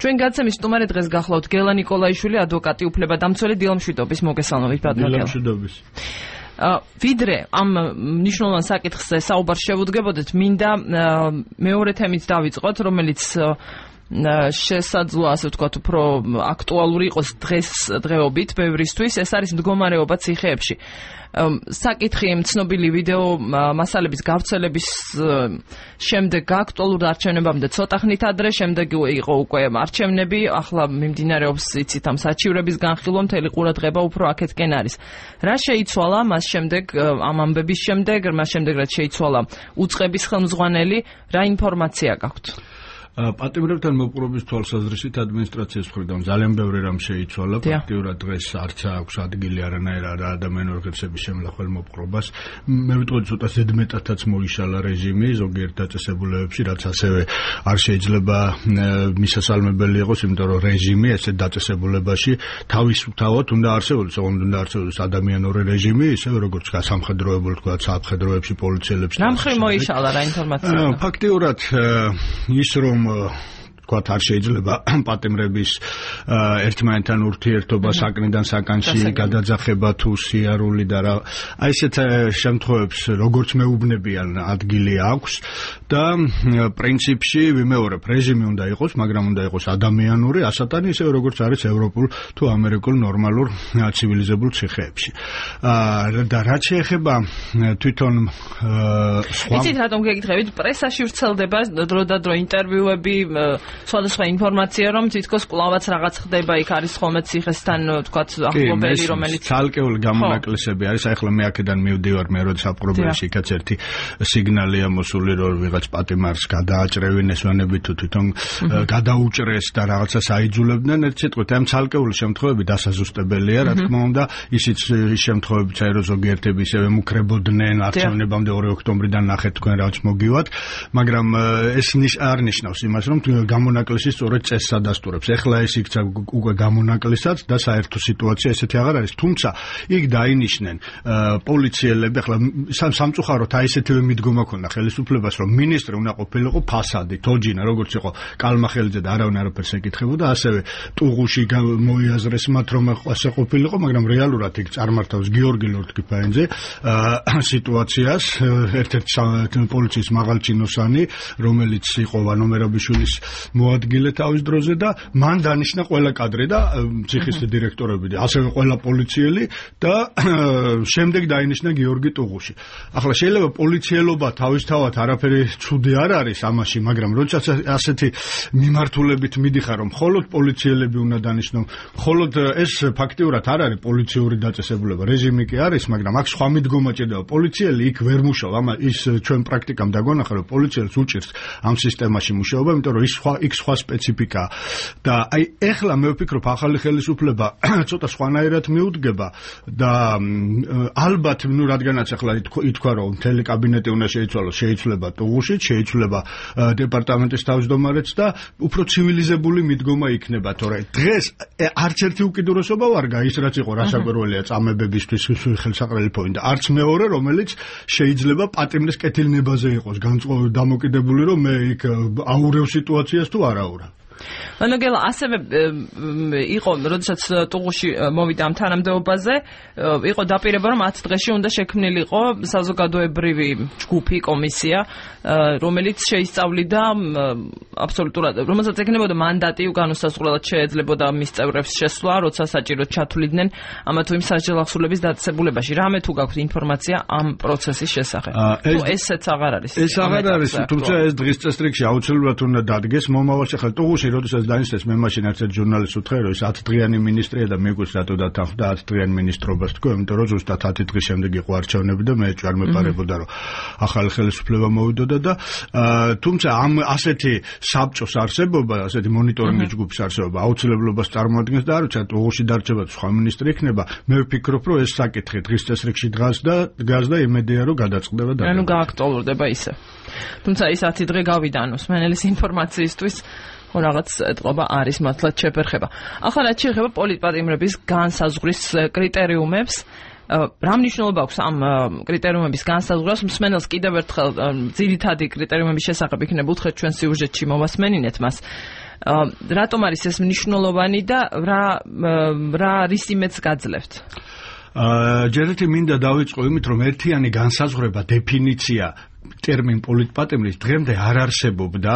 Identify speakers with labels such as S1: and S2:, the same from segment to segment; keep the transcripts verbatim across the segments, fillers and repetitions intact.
S1: ჩვენ გაცემის სტუმარი დღეს გახლავთ გელა ნიკოლაიშვილი, ადვოკატი, უფლებადამცველი, დილამშვიდობის, მოგესალმებით ბატონო გელა.
S2: დილამშვიდობის.
S1: ვიდრე ამ მნიშვნელოვან საკითხზე საუბარს შევუდგებოდეთ, მინდა მეორე თემით დავიწყოთ, რომელიც შესაძლოა ასე ვთქვათ, უფრო აქტუალური იყოს დღეს დღეობით ბევრისთვის, ეს არის მდგომარეობა ციხეებში. საკითხი ცნობილი ვიდეო მასალების გავრცელების შემდეგ აქტუალურ არჩევნებამდე ცოტა ხნით ადრე, შემდეგ იყო უკვე არჩევნები, ახლა მიმდინარეობს იცით ამ საჩივრების განხილვა, მთელი ყურადღება უფრო აქეთკენ არის. რა შეიცვალა მას შემდეგ, ამ ამბების შემდეგ, მას შემდეგ რაც შეიცვალა უწყების ხელმძღვანელი, რა ინფორმაცია გაქვთ?
S2: პატიმრებთან მოპყრობის თვალსაზრისით ადმინისტრაციის მხრიდან ძალიან ბევრი რამ შეიცვალა. ფაქტიურად დღეს არც აქვს ადგილი არანაირ ადამიანურ ღირსების შემლახველ მოპყრობას. მე ვიტყოდი ცოტა ზედმეტადაც მოიშალა რეჟიმი ზოგიერთ დაწესებულებებში, რაც ასევე არ შეიძლება მისასალმებელი იყოს, იმიტომ რომ რეჟიმი ესეთ დაწესებულებაში თავისთავად უნდა არსებობდეს, ოღონდ უნდა არსებობდეს ადამიანური რეჟიმი, ისევე როგორც სამხედროებულ, თქვა სამხედროებში, პოლიციელებში.
S1: რა მხრივ მოიშალა რა ინფორმაცია?
S2: ფაქტიურად ის რომ თქვათ არ შეიძლება პატიმრების ერთმანეთთან ურთიერთობა საკნიდან საკანში გადაძახება თუ სიარული და რა აი ესეთ შემთხვევებს როგორც მეუბნებიან ადგილი აქვს და პრინციპში ვიმეორებ რეჟიმი უნდა იყოს, მაგრამ უნდა იყოს ადამიანური, ასათანი ისე როგორც არის ევროპულ თუ ამერიკულ ნორმალურ ცივილიზებულ ციხეებში. და რაც შეეხება თვითონ სხვა
S1: იცით რატომ გეკითხებით, პრესაში ვრცელდება დრო და დრო ინტერვიუები, სხვადასხვა ინფორმაცია, რომ თითქოს კვლავაც რაღაც ხდება, იქ არის ხოლმე ციხესთან თქვათ ახლობელი, რომელიც
S2: ცალკეული გამონაკლისები არის. ახლა მე აქედან მივდივარ, მე როდის აპყრობებში იქაც ერთი სიგნალია მოსული, რომ ვიღაც პატიმარს გადააჭრევენ ესვანები თუ თვითონ გადაუჭრეს და რაღაცას აიძულებდნენ. ერთ სიტყვით, ამ ცალკეული შემთხვევები დასაზუსტებელია, რა თქმა უნდა, ისიც შემთხვევებიც არის, რომ ზოგიერთები ისევე მუქრებოდნენ არჩევნებამდე ორი ოქტომბრიდან ნახეთ თქვენ რაც მოგივათ, მაგრამ ეს არ ნიშნავს იმას, რომ გამონაკლისი სწორედ წესს ადასტურებს. ეხლა ეს იქცა უკვე გამონაკლისად და საერთო სიტუაცია ესეთი აღარ არის. თუმცა იქ დაინიშნენ პოლიციელები, ეხლა სამწუხაროდ აი ესეთივე მიდგომა ქონდა ხელისუფლებას, რომ მინისტრი უნდა ყოფილიყო ფასადი, თოჯინა, როგორც იყო კალმახელიძე და არავინ არაფერს ეკითხებოდა, ასევე ტუღუში მოიაზრეს მათ, რომ ასე ყოფილიყო, მაგრამ რეალურად იქ წარმართავს გიორგი ლორთქიფანიძე სიტუაციას, ერთ-ერთი პოლიციის მაღალჩინოსანი, რომელიც იყო ვანომერაბიშვილის მოადგილე თავის დროზე და მან დანიშნა ყველა კადრი და ციხის დირექტორები და ასევე ყველა პოლიციელი და შემდეგ დაინიშნა გიორგი ტუღუში. ახლა შეიძლება პოლიციელობა თავისთავად არაფერი ცუდი არ არის ამაში, მაგრამ როდესაც ასეთი მიმართულებით მიდიხარ, რომ მხოლოდ პოლიციელები უნდა დანიშნონ, მხოლოდ ეს ფაქტიურად არ არის პოლიციური დაწესებულება, რეჟიმი კი არის, მაგრამ აქ სხვა მიდგომა ჭირდება. პოლიციელი იქ ვერ მუშაობს, ამა ის ჩვენ პრაქტიკამ დაგონახა, რომ პოლიციელს უჭირს ამ სისტემაში მუშაობა, იმიტომ რომ ის სხვა იქ სხვა სპეციფიკაა. და აი ეხლა მე ვფიქრობ, ახალი ხელისუფლება ცოტა სხვანაირად მიუდგება და ალბათ, ნუ რადგანაც ახლა ითქვა, რომ მთელი კაბინეტი უნდა შეიცვალოს, შეიცვლება ტუღუშიც, შეიცვლება დეპარტამენტის თავმჯდომარეც და უფრო ცივილიზებული მიდგომა იქნება, თორე დღეს არც ერთი უკიდურესობა ვარ გაის, რაც იყო რასაკვირველია წამებებისთვის ხელსაყრელი და არც მეორე, რომელიც შეიძლება პატიმრის კეთილნებაზე იყოს დამოკიდებული, რომ მე იქ აურევ სიტუაციას თუ არ აურევ.
S1: ანუ გელა ასევე იყო, როდესაც ტუღუში მოვიდა ამ თანამდებობაზე, იყო დაპირება, რომ ათ დღეში უნდა შექმნილიყო საზოგადოებრივი ჯგუფი, კომისია, რომელიც შეისწავლიდა აბსოლუტურად, რომელსაც ეკნებოდა მანდატი, განუსაზღვრელად შეეძლებოდა მის წევრებს შესვლა, როცა საჭიროდ ჩათვლიდნენ ამა თუ იმ სასჯელახსულების დაწესებულებაში. რამე თუ გაქვთ ინფორმაცია ამ პროცესის შესახებ? თუ ესეც აღარ არის?
S2: ეს აღარ არის, თუმცა ეს დღის წესრიგში აუცილებლად უნდა დადგეს მომავალში. ახლა ტუღუში როდესაც დაინსტეს, მე მაშინ ერთ ჟურნალისტს ვთხარ, რომ ის ათი დღიანი მინისტრია და მეგვიყვარს რატო დათანხმდა ათი დღიანი მინისტრობას თქო, იმიტომ რომ ზუსტად ათი დღის შემდეგ იყო არჩევნები და მე არ მეპარებოდა, რომ ახალი ხელისუფლება მოვიდოდა და თუმცა ამ ასეთი საბჭოს არსებობა, ასეთი მონიტორინგის ჯგუფის არსებობა აუცილებლობას წარმოადგენს და არ ვიცი, ტუღუში დარჩება სხვა მინისტრი იქნება. მე ვფიქრობ, რომ ეს საკითხი დღის წესრიგში დგას და დგას და იმედია, რომ გადაწყდება და
S1: ანუ გააქტუალურდება ისე. თუმცა ის ათი დღე გავიდა ანუ სმენელის ინფორმაციისთვის რაღაც ეტყობა არის მართლაც შეფერხება. ახლა რაც შეეხება პოლიტპატიმრების განსაზღვრის კრიტერიუმებს, რა მნიშვნელობა აქვს ამ კრიტერიუმების განსაზღვრას? მსმენელს კიდევ ერთხელ ძირითადი კრიტერიუმების შესახებ იქნება უთხრეთ ჩვენ სიუჟეტში მოვასმენინეთ მას. რატომ არის ეს მნიშვნელოვანი და რა რა რის იმედს გაძლევთ?
S2: აა ჯერეთი მინდა დავიწყო იმით, რომ ერთიანი განსაზღვრება, დეფინიცია ტერმინ პოლიტპატიმრის დღემდე არ არსებობდა,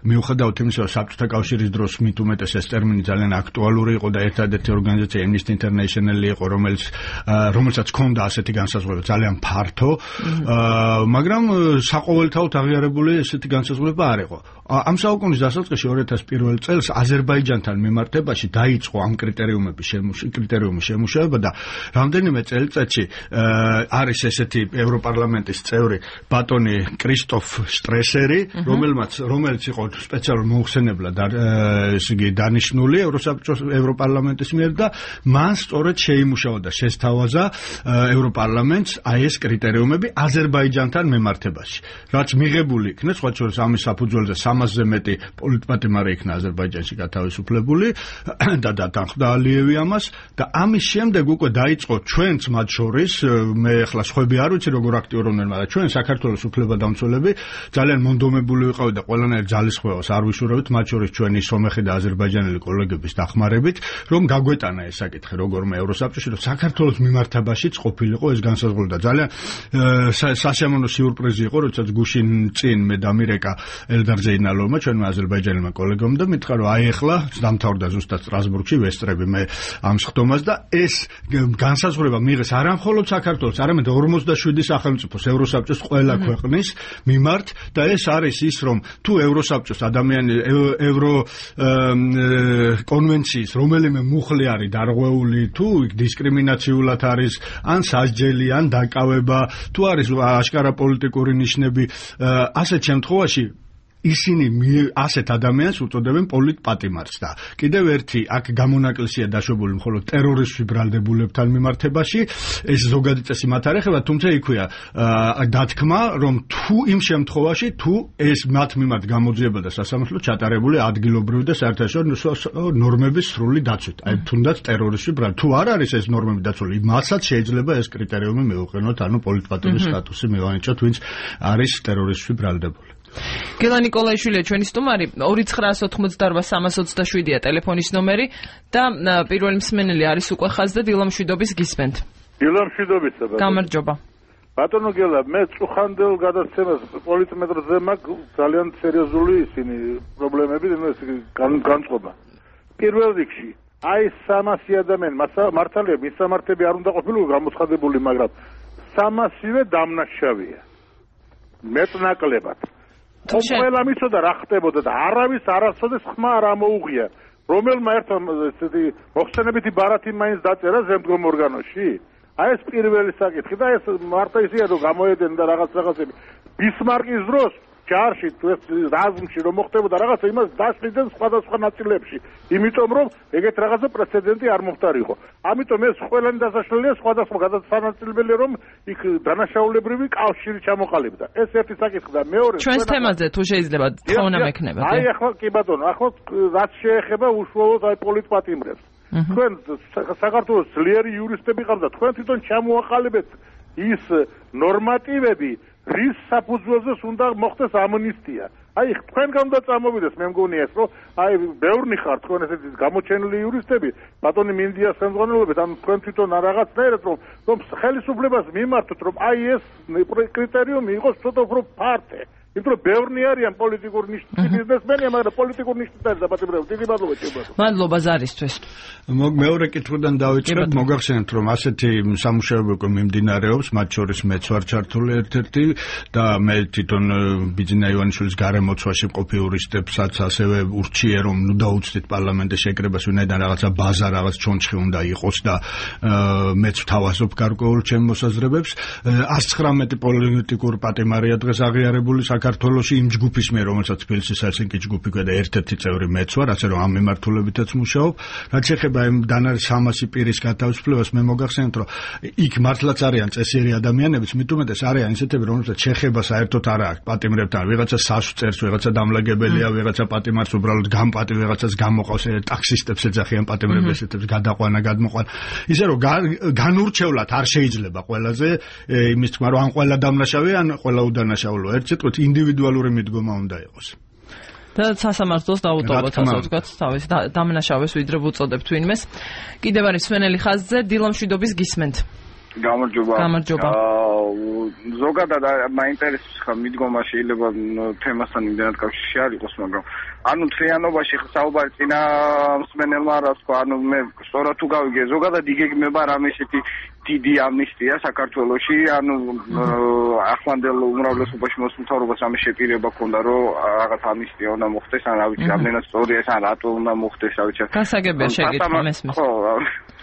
S2: მიუხედავად იმისა, რომ საბჭოთა კავშირის დროს მით უმეტეს ეს ტერმინი ძალიან აქტუალური იყო და ერთადერთი ორგანიზაცია Amnesty International იყო, რომელიც რომელსაც ჰქონდა ასეთი განსაზღვრება ძალიან ფართო, მაგრამ საყოველთაოდ აღიარებული ესეთი განსაზღვრება არ იყო. ამ საუკუნის დასაწყისში ორი ათას პირველ წელს აზერბაიჯანთან მიმართებაში დაიწყო ამ კრიტერიუმების კრიტერიუმის შემუშავება და რამდენიმე წელიწადში არის ესეთი ევროპარლამენტის წევრი ბატონი კრისტოფ შტრესერი, რომელმაც რომელიც იყო სპეციალურ მოხსენებლად ესე იგი დანიშნული ევროსაბჭოს ევროპარლამენტის მიერ და მან სწორედ შეიმუშავა და შესთავაზა ევროპარლამენტს აი ეს კრიტერიუმები აზერბაიჯანთან მიმართებაში. რაც მიღებული იქნა, სხვა შორის ამის საფუძველზე სამასზე მეტი პოლიტპატიმარი იქნა აზერბაიჯანში გათავისუფლებული და დათანხმდა ალიევი ამას და ამის შემდეგ უკვე დაიწყო ჩვენც მათ შორის, მე ახლა სხვები არ ვიცი როგორ აქტიურობდნენ, მაგრამ ჩვენ საქართველოს უფლებადამცველები ძალიან მონდომებული ვიყავით და ყველანაირ ძალისხმევას არ ვიშურავთ, მათ შორის ჩვენი სომეხი და აზერბაიჯანელი კოლეგების დახმარებით, რომ გაგვეტანა ეს საკითხი როგორმე ევროსაბჭოში, რომ საქართველოს მიმართებაშიც ყოფილიყო ეს განსაზღვრება და ძალიან სასიამოვნო სიურპრიზი იყო, როდესაც გუშინ წინ მე დამირეკა ელდარ ზეინალოვმა, ჩვენმა აზერბაიჯანელმა კოლეგამ და მითხრა, რომ აი ახლა დამთავრდა ზუსტად სტრასბურგში ვესტრები მე ამ სხდომას და ეს განსაზღვრება მიიღეს არა მხოლოდ საქართველოს, არამედ ორმოცდაშვიდი სახელმწიფოს ევროსაბჭოს ყველა ქვეყნის მიმართ და ეს არის ის, რომ თუ ევროსაბჭოს ადამიანი ევრო კონვენციის რომელიმე მუხლი არის დარღვეული, თუ დისკრიმინაციულად არის ან სასჯელი, ან დაკავება, თუ არის აშკარა პოლიტიკური ნიშნები, ასეთ შემთხვევაში ისინი ასეთ ადამიანს უწოდებენ პოლიტპატიმარს და კიდევ ერთი აქ გამონაკლისია დაშვებული მხოლოდ ტერორისტულ ბრალდებულებთან მიმართებაში, ეს ზოგადი წესი მათ არ ეხება, თუმცა იქვეა დათქმა, რომ თუ იმ შემთხვევაში თუ ეს მათ მიმართ გამოძიება და სასამართლო ჩატარებული ადგილობრივი და საერთაშორისო ნორმების სრული დაცვით, აი თუნდაც ტერორისტულ ბრალ თუ არ არის ეს ნორმები დაცული, მასაც შეიძლება ეს კრიტერიუმი მივუყენოთ, ანუ პოლიტპატიმრის სტატუსი მივანიჭოთ, ვინც არის ტერორისტულ ბრალდებული.
S1: გელა ნიკოლაიშვილია ჩვენი სტუმარი, ორი ცხრაას ოთხმოცდაორბა სამას ოცდაშვიდია ტელეფონის ნომერი და პირველი მსმენელი არის უკვე ხაზზე, დილა მშვიდობის გისმენთ.
S3: დილა მშვიდობისა.
S1: გამარჯობა.
S3: ბატონო გელა, მე წუხანდელ გადაცემას პოლიტმეტრზე მაქვს ძალიან სერიოზული ისინი პრობლემები და განწყობა. პირველ რიგში, აი სამასი ადამიანი, მართალია, მისამართები არ უნდა ყოფილიყო გამოცხადებული, მაგრამ სამასივე დამნაშავეა. მეტნაკლებად. ყველა მიცოდა რა ხდებოდა და არავის არასოდეს ხმა არ ამოუღია. რომელმა ერთმა ესეთი მოხსენებითი ბარათი მაინც დაწერა ზემდგომ ორგანოში. აი ეს პირველი საკითხი და ეს მარტო ისეა რომ გამოედენ და რაღაც რაღაცები. ბისმარკის დროს ჯარში თუ ეს რაზმში რომ მოხდებოდა რაღაცა იმას დაშლიდნენ სხვადასხვა ნაწილებში. იმიტომ რომ ეგეთ რაღაცა პრეცედენტი არ მომხდარიყო. ამიტომ ეს ყველანი დასაშლელია სხვადასხვა გადაწყვეტილებელია რომ იქ დანაშაულებრივი კავშირი ჩამოყალიბდა. ეს ერთი საკითხი და მეორე
S1: ჩვენს თემაზე თუ შეიძლება თხოვნა მექნება.
S3: აი ახლა კი ბატონო, ახლა რაც შეეხება უშუალოდ აი პოლიტპატიმრებს. თქვენ საქართველოს ძლიერი იურისტები ყავდა, თქვენ თვითონ ჩამოაყალიბეთ ის ნორმატივები, რის საფუძველზეც უნდა მოხდეს ამნისტია. აი თქვენგან უნდა წამოვიდეს, მე მგონია ეს, რომ აი ბევრნი ხარ თქვენ ესეთი გამოჩენილი იურისტები, ბატონი მინდიას ხელმძღვანელობით, ანუ თქვენ თვითონ რაღაცნაირად რომ რომ ხელისუფლებას მიმართოთ, რომ აი ეს კრიტერიუმი იყოს ცოტა უფრო ფართე. იმიტომ რომ ბევრნი არიან პოლიტიკური ნიშნის ბიზნესმენია, მაგრამ პოლიტიკური ნიშნის არ დაბატებრებოდნენ. დიდი მადლობა ჩემო.
S1: მადლობა ზარისთვის.
S2: მეორე კითხვიდან დავიწყებ, მოგახსენებთ რომ ასეთი სამუშაოები მიმდინარეობს, მათ შორის მეც ვარ ჩართული ერთ-ერთი და მე თვითონ ბიძინა ივანიშვილის გარემოცვაში მყოფი იურისტებსაც ასევე ურჩიე რომ ნუ დაუცდით პარლამენტის შეკრებას, ვინაიდან რაღაცა ბაზა, რაღაც ჩონჩხი უნდა იყოს და მეც ვთავაზობ გარკვეულ ჩემ მოსაზრებებს. ას ცხრამეტი პოლიტიკურ პატიმარია დღეს აღიარებული საქართველოში იმ ჯგუფის მიერ, რომელსაც თბილისის ჰელსინკის ჯგუფი ქვია ერთ-ერთი წევრი მეც ვარ, ასე რომ ამ მიმართულებითაც მუშაობ. რაც ეხება იმ დანარჩენ სამასი პირის გათავისუფლებას, მე მოგახსენებთ, რომ იქ მართლაც არიან წესიერი ადამიანებიც, მით უმეტეს არიან ისეთები, რომელსაც შეხება საერთოდ არ აქვს პატიმრებთან, ვიღაცა სასვ წერს, ვიღაცა დამლაგებელია, ვიღაცა პატიმარს უბრალოდ გამპატი, ვიღაცას გამოყავს, ტაქსისტებს ეძახიან პატიმრებს, ესეთებს გადაყვანა, გადმოყვანა. ისე რომ განურჩევლად არ შეიძლება ყველაზე იმის თქმა, რომ ან ყველა დამნაშავე, ან ყველა უდანაშაულო. ერთ სიტყვით ინდივიდუალური მიდგომა უნდა იყოს.
S1: და სასამართლოს დაუტოვოთ, ასე ვთქვათ, თავის დამნაშავეს ვიდრე ვუწოდებთ ვინმეს. კიდევ არის სვენელი ხაზზე, დილამშვიდობის გისმენთ.
S4: გამარჯობა.
S1: გამარჯობა.
S4: ზოგადად მაინტერესებს ხა მიდგომა შეიძლება თემასთან იმდენად კავშირში არ იყოს, მაგრამ ანუ თლიანობაში საუბარი წინა მსმენელმა რა თქვა, ანუ მე სწორად თუ გავიგე, ზოგადად იგეგმება რამე ისეთი დიდი ამნისტია საქართველოში, ანუ ახლანდელ უმრავლესობაში მოსმთავრობას ამის შეპირება ქონდა, რომ რაღაც ამნისტია უნდა მოხდეს, ან რა ვიცი, ამდენად სწორია ეს, ან რატო უნდა მოხდეს, რა ვიცი.
S1: გასაგებია შეკითხვა მესმის.
S4: ხო,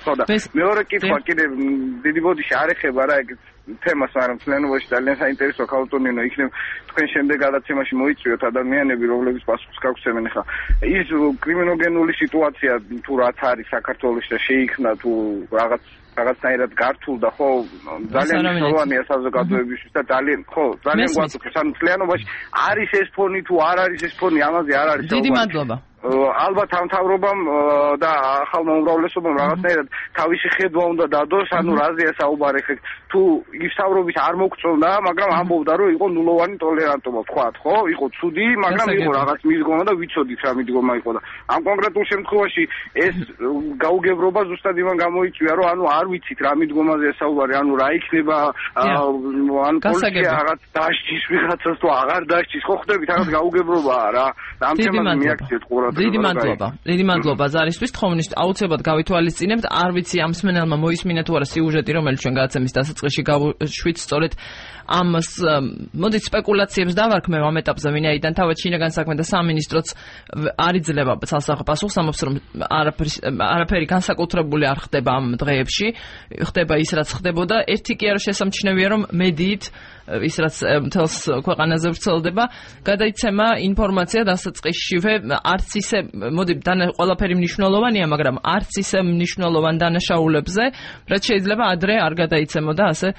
S4: ხო და მეორე კითხვა კიდე დიდი ბოდიში არ ეხება რა ეგ თემას, მაგრამ თლიანობაში ძალიან საინტერესო ქალტონინო იქნებ თქვენ შემდეგ გადაცემაში მოიწვიოთ ადამიანები, რომლებიც პასუხს გაგვცემენ ხა. ის კრიმინოგენული სიტუაცია თუ რაც არის საქართველოში და შეიქმნა თუ რაღაც რაღაცნაირად გართულდა, ხო, ძალიან მნიშვნელოვანია საზოგადოებისთვის და ძალიან, ხო, ძალიან გვაწუხებს. ანუ თლიანობაში არის ეს ფონი თუ არ არის ეს ფონი, ამაზე არ არის
S1: საუბარი. დიდი მადლობა.
S4: ალბათ ამ თავრობამ და ახალმა უმრავლესობამ რაღაცნაირად თავისი ხედვა უნდა დადოს, ანუ რაზეა საუბარი ხე თუ ის თავრობის არ მოგწონდა, მაგრამ ამბობდა რომ იყო ნულოვანი ტოლერანტობა, თქვათ, ხო? იყო ცუდი, მაგრამ იყო რაღაც მიდგომა და ვიცოდით რა მიდგომა იყო და ამ კონკრეტულ შემთხვევაში ეს გაუგებრობა ზუსტად იმან გამოიწვია, რომ ანუ არ ვიცით რა მიდგომაზეა საუბარი, ანუ რა იქნება, ან პოლიცია რაღაც დასჯის ვიღაცას თუ აღარ დასჯის, ხო ხდებით, რაღაც გაუგებრობაა რა. ამ თემაზე მიაქციეთ ყურადღება.
S1: დიდი მადლობა. დიდი მადლობა ზარისთვის თხოვნით. აუცილებლად გავითვალისწინებთ. არ ვიცი ამ მსმენელმა მოისმინა თუ არა სიუჟეტი, რომელიც ჩვენ გადაცემის დასაწყისში გავშვით სწორედ ამ მოდით სპეკულაციებს დავარქმევ ამ ეტაპზე, ვინაიდან თავად შინაგან საქმეთა სამინისტროც არ იძლევა ცალსახე პასუხს, ამბობს რომ არაფერი განსაკუთრებული არ ხდება ამ დღეებში, ხდება ის რაც ხდებოდა. ერთი კი არა შესამჩნევია რომ მედიით ის რაც მთელს ქვეყანაზე ვრცელდება, გადაიცემა ინფორმაცია დასაწყისშივე არც ისე, მოდი, ყველაფერი მნიშვნელოვანია, მაგრამ არც ისე მნიშვნელოვან დანაშაულებზე, რაც შეიძლება ადრე არ გადაიცემოდა ასე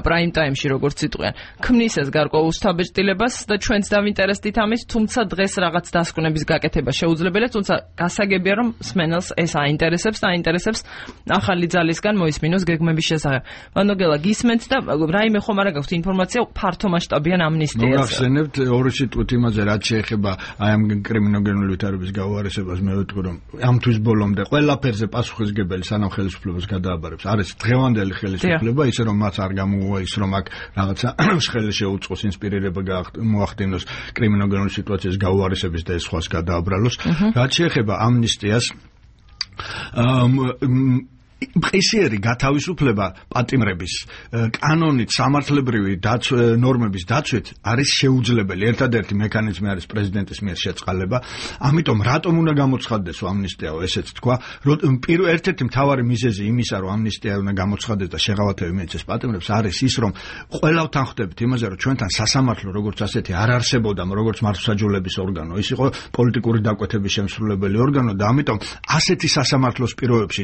S1: პრაიმ ტაიმში, როგორც იტყვიან. ქმნის ეს გარკვეულ უსთაბეჭდილებას და ჩვენც დავინტერესდით ამით, თუმცა დღეს რაღაც დასკვნების გაკეთება შეუძლებელია, თუმცა გასაგებია რომ სმენელს ეს აინტერესებს და აინტერესებს ახალი ძალისგან მოისმინოს გეგმების შესახებ. ვანოგელა გისმენთ და რაიმე ხომ არა გაქვთ ინფორმაცია ფართო მასშტაბიან ამნისტიას.
S2: მოგახსენებთ ორი სიტყვით იმაზე, რაც შეეხება აი ამ კრიმინოგენული ვითარების გაუარესებას, მე ვიტყვი რომ ამ თვის ბოლომდე ყველაფერზე პასუხისგებელი სანამ ხელისუფლებას გადააბარებს არის დღევანდელი ხელისუფლება, ისე რომ მას არ გამოუვა ის რომ აქ რაღაცა ხელი შეუწყოს, ინსპირირება მოახდინოს კრიმინოგენული სიტუაციის გაუარესების და ეს სხვას გადააბრალოს. რაც შეეხება ამნისტიას, ყისიერი გათავისუფლება პატიმრების კანონით სამართლებრივი ნორმების დაცვით არის შეუძლებელი. ერთადერთი მექანიზმი არის პრეზიდენტის მიერ შეწყალება. ამიტომ რატომ უნდა გამოცხადდეს ამნისტიაო, ესეც თქვა. ერთ-ერთი მთავარი მიზეზი იმისა, რომ ამნისტია უნდა გამოცხადდეს და შეღავათები მიეცეს პატიმრებს, არის ის, რომ ყველავთან ხვდებით იმაზე, რომ ჩვენთან სასამართლო როგორც ასეთი არ არსებობდა, როგორც მართლმსაჯულების ორგანო, ის იყო პოლიტიკური დაკვეთების შემსრულებელი ორგანო და ამიტომ ასეთი სასამართლოს პირობებში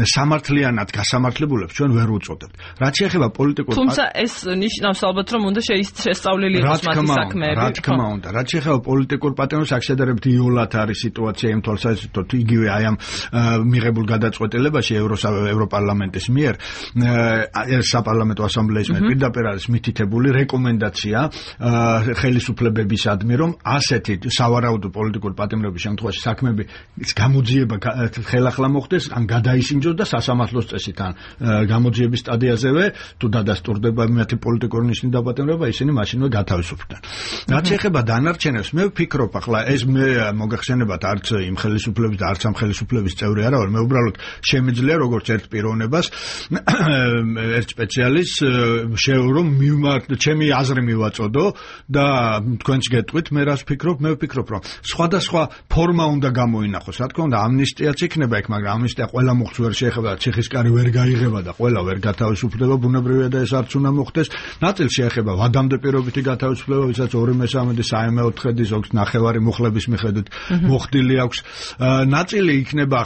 S2: სამართლიანად გასამართლებულებს ჩვენ ვერ უწოდებთ. რაც შეეხება პოლიტიკურ
S1: თუმცა ეს ნიშნავს ალბათ რომ უნდა შეისწავლილი იყოს მათი საქმეები.
S2: რა თქმა უნდა, რაც შეეხება პოლიტიკურ პატრონს, აქ შედარებით იოლად არის სიტუაცია იმ თვალსაზრისით, იგივე აი ამ მიღებულ გადაწყვეტილებაში ევროპარლამენტის მიერ, საპარლამენტო ასამბლეის მიერ პირდაპირ არის მითითებული რეკომენდაცია ხელისუფლებებისადმი, რომ ასეთი სავარაუდო პოლიტიკურ პატიმრების შემთხვევაში საქმეები გამოძიება ხელახლა მოხდეს, ან გადაისინჯოს და სასამართლოს წესით ან გამოძიების სტადიაზევე თუ დადასტურდება მათი პოლიტიკური ნიშნის დაპატიმრება, ისინი მაშინვე გათავისუფლდნენ. რაც შეეხება დანარჩენებს, მე ვფიქრობ, ახლა ეს მე მოგახსენებათ არც იმ ხელისუფლების და არც ამ ხელისუფლების წევრი არა ვარ, მე უბრალოდ შემიძლია როგორც ერთ პიროვნებას, ერთ სპეციალისტს რომ ჩემი აზრი მივაწოდო და თქვენც გეტყვით, მე რას ვფიქრობ, მე ვფიქრობ, რომ სხვადასხვა ფორმა უნდა გამოინახოს. რა თქმა უნდა, ამნისტიაც იქნება იქ, მაგრამ ამნისტია ყველა მოხდს ვერ შეეხება, ციხისკარი ვერ გაიღება და ყველა ვერ გათავისუფლდება, ბუნებრივია და ეს არც უნდა მოხდეს. ნაწილ შეეხება ვადამდე პირობითი გათავისუფლება, ვისაც ორი მესამედი საიმეოთხედი, ზოგს ნახევარი მუხლების მიხედვით მოხდილი აქვს. ნაწილი იქნება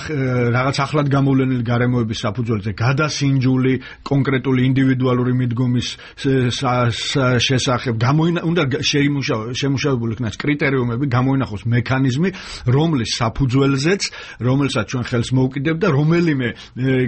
S2: რაღაც ახლად გამოვლენილი გარემოების საფუძველზე გადასინჯული კონკრეტული ინდივიდუალური მიდგომის შესახებ. უნდა შემუშავებული იქნას კრიტერიუმები, გამოინახოს მექანიზმი, რომლის საფუძველზეც, რომელსაც ჩვენ ხელს მოუკიდებ და რომელიმე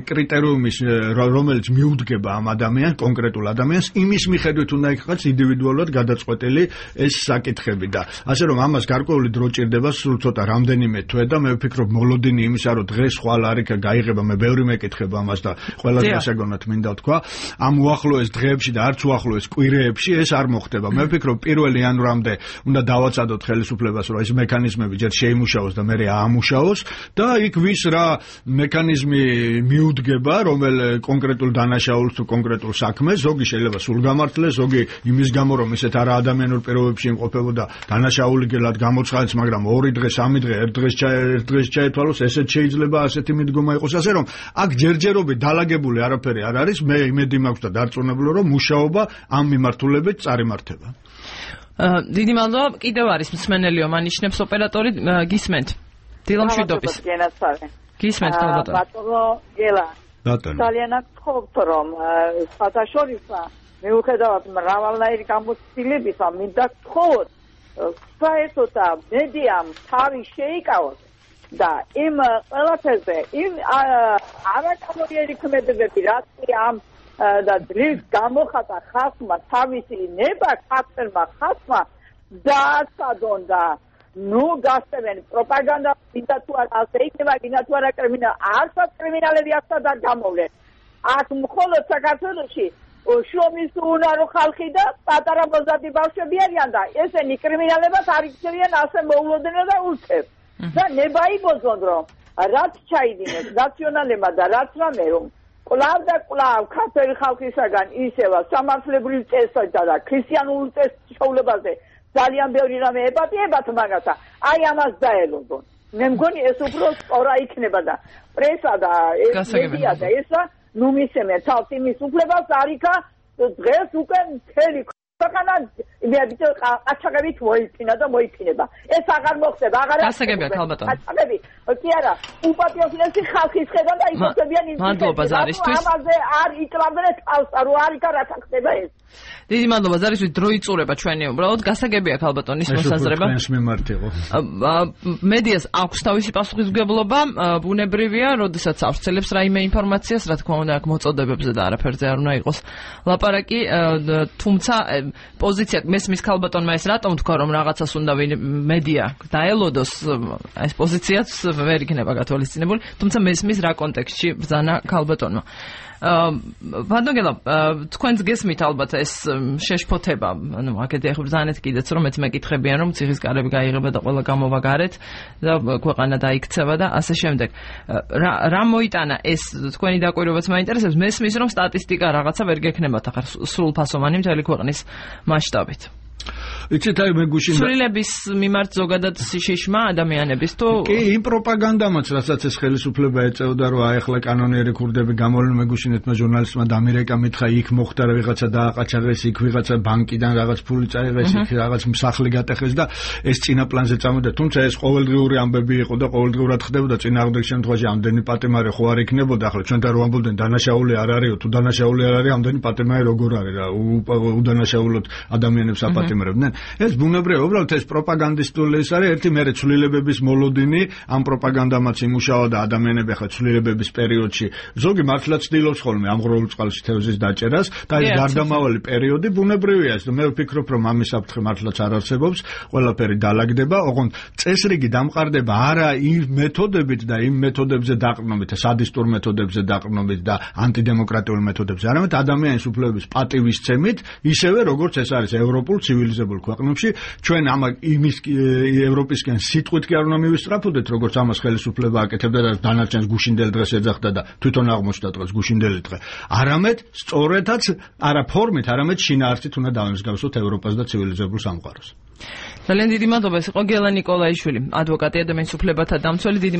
S2: კრიტერიუმის რომელიც მიუდგება ამ ადამიანს, კონკრეტულ ადამიანს, იმის მიხედვით უნდა იქნას ინდივიდუალურად გადაწყვეტილი ეს საკითხები და ასე რომ ამას გარკვეული დრო ჭირდება, სულ ცოტა რამდენიმე თვე და მე ვფიქრობ მოლოდინი იმისა რომ დღეს ხვალ არიქა გაიღება, მე ბევრი მეკითხება ამას და ყველაზე გასაგონად მინდა თქვა, ამ უახლოეს დღეებში და არც უახლოეს კვირეებში ეს არ მოხდება. მე ვფიქრობ პირველ იანვრამდე უნდა დავაცადოთ ხელისუფლებას რომ ეს მექანიზმები ჯერ შეიმუშაოს და მერე აამუშაოს და იქ ვის რა მექანიზმი მიუდგება, რომელ კონკრეტულ დანაშაულს თუ კონკრეტულ საქმეს, ზოგი შეიძლება სულ გამართლეს, ზოგი იმის გამო რომ ისეთ არა ადამიანურ პირობებში იმყოფებოდა დანაშაული გელად გამოცხადდეს, მაგრამ ორი დღე, სამი დღე, ერთ დღეს ერთ დღეს ჩაეთვალოს, ესეც შეიძლება ასეთი მიდგომა იყოს, ასე რომ აქ ჯერჯერობით დალაგებული არაფერი არ არის, მე იმედი მაქვს და დარწმუნებული რომ მუშაობა ამ მიმართულებით წარიმართება.
S1: დიდი მადლობა, კიდევ არის მსმენელიო მანიშნებს ოპერატორი, გისმენთ. დილამშვიდობის. გისმენთ ალბათ.
S5: ბატონო გელა.
S2: ბატონო.
S5: ძალიან გთხოვთ რომ საერთაშორისო მიუხედავად მრავალნაირი გამოცდილებისა, მინდა გთხოვოთ საერთოდ მედიამ თავი შეიკავოს და იმ ყველაფერზე იმ არაკანონიერი ქმედებები, რაც ამ და ძლის გამოხატა ხალხმა თავისი ნება ქართველმა ხალხმა დააცადონ და ნუ გასწევენ პროპაგანდა, მინდა თუ არა ასე იქნება, მინდა თუ არა კრიმინალი, არცად კრიმინალები ახსად არ გამოვლენ. აქ მხოლოდ საქართველოში შრომის უნარო ხალხი და პატარა მოზარდი ბავშვები არიან და ესენი კრიმინალებად არ იქცევიან, ასე მოულოდნელად და ულწევ. და ნება იბოძონ რომ რაც ჩაიდინეს ნაციონალებმა და რაც რამე რომ კვლავ და კვლავ ქართველი ხალხისაგან ისევა სამართლებრივ წესსა და ქრისტიანულ წესშეულებაზე ძალიან ბევრი რამე ებატიებათ მაგათა, აი ამას დაელოდონ. მე მგონი ეს უფრო სწორა იქნება და პრესა და ეს მედია და ესა ნუ მისცემენ თავს იმის უფლებას არიქა დღეს უკვე მთელი ქვეყანა იმედით ყაჩაღებით მოიფინა და მოიფინება. ეს აღარ მოხდება, აღარ
S1: გასაგებია ქალბატონო.
S5: ყაჩაღები, კი არა, უპატრიოტიზმი ხალხის ხედავ და იფოცებიან იმ
S1: მადლობა ზარისთვის.
S5: ამაზე არ იტყავდნენ თავს, რო არიქა რათა ხდება ეს.
S1: დიდი მადლობა ზარისთვის, დრო იწურება ჩვენი უბრალოდ გასაგებია ქალბატონის მოსაზრება.
S2: ეს მიმართ იყო.
S1: მედიას აქვს თავისი პასუხისმგებლობა, ბუნებრივია, როდესაც ავრცელებს რაიმე ინფორმაციას, რა თქმა უნდა, აქ მოწოდებებზე და არაფერზე არ უნდა იყოს ლაპარაკი, თუმცა პოზიცია მესმის ქალბატონმა ეს რატომ თქვა რომ რაღაცას უნდა მედია დაელოდოს, ეს პოზიციაც ვერ იქნება გათვალისწინებული, თუმცა მესმის რა კონტექსტში ბრძანა ქალბატონმა. ვანდოგელა, თქვენს გესმით ალბათ ეს შეშფოთება, ანუ აქეთ ახლა ბრძანეთ კიდეც რომ მეც მეკითხებიან რომ ციხის კარები გაიღება და ყველა გამოვა გარეთ და ქვეყანა დაიქცევა და ასე შემდეგ. რა მოიტანა ეს თქვენი დაკვირვებაც მაინტერესებს, მესმის რომ სტატისტიკა რაღაცა ვერ გექნებათ ახლა სრულფასოვანი მთელი ქვეყნის მასშტაბით.
S2: იცით აი მე გუშინ
S1: სულილების მიმართ ზოგადად შიშმა ადამიანების თუ
S2: კი იმ პროპაგანდამაც რასაც ეს ხელისუფლება ეწეოდა რომ აი ახლა კანონიერი ქურდები გამოვლენ, მე გუშინ ერთმა ჟურნალისტმა დამირეკა მითხრა იქ მოხდა რა ვიღაცა დააყაჩაღეს, იქ ვიღაცა ბანკიდან რაღაც ფული წაიღეს, იქ რაღაც მსახლი გატეხეს და ეს წინა პლანზე წამოდა, თუმცა ეს ყოველდღიური ამბები იყო და ყოველდღურად ხდებოდა, წინააღმდეგ შემთხვევაში ამდენი პატიმარი ხო არ იქნებოდა, ახლა ჩვენთან რომ ამბობდნენ დანაშაული არ არისო, თუ დანაშაული არ არის, ამდენი პატიმარი როგორ არის რა, უდანაშაულოდ ადამიანებს აპატიმრებდნენ. ეს ბუნებრივია, უბრალოდ ეს პროპაგანდისტული ის არის, ერთი მერე ცვლილებების მოლოდინი, ამ პროპაგანდამაც იმუშავა და ადამიანები ახლა ცვლილებების პერიოდში ზოგი მართლაც ცდილობს ხოლმე ამღროულ წყალში თევზის დაჭერას და ეს გარდამავალი პერიოდი ბუნებრივია, მე ვფიქრობ რომ ამის საფრთხე მართლაც არ არსებობს, ყველაფერი დალაგდება, ოღონდ წესრიგი დამყარდება არა იმ მეთოდებით და იმ მეთოდებზე დაყრდნობით, სადისტურ მეთოდებზე დაყრდნობით და ანტიდემოკრატიული მეთოდებზე, არამედ ადამიანის უფლებების პატივისცემით, ისევე როგორც ეს არის ევროპულ ცივილიზებულ ქვეყნებში, ჩვენ ამ იმის ევროპისკენ სიტყვით კი არ უნდა მივისწრაფოდეთ, როგორც ამას ხელისუფლება აკეთებდა და დანარჩენს გუშინდელი დღეს ეძახდა და თვითონ აღმოჩნდა დღეს გუშინდელი დღე. არამედ სწორედაც არა ფორმით, არამედ შინაარსით უნდა დავემსგავსოთ ევროპას და ცივილიზებულ სამყაროს.
S1: ძალიან დიდი მადლობა, ეს იყო გელა ნიკოლაიშვილი, ადვოკატი, ადამიანის უფლებათა დამცველი.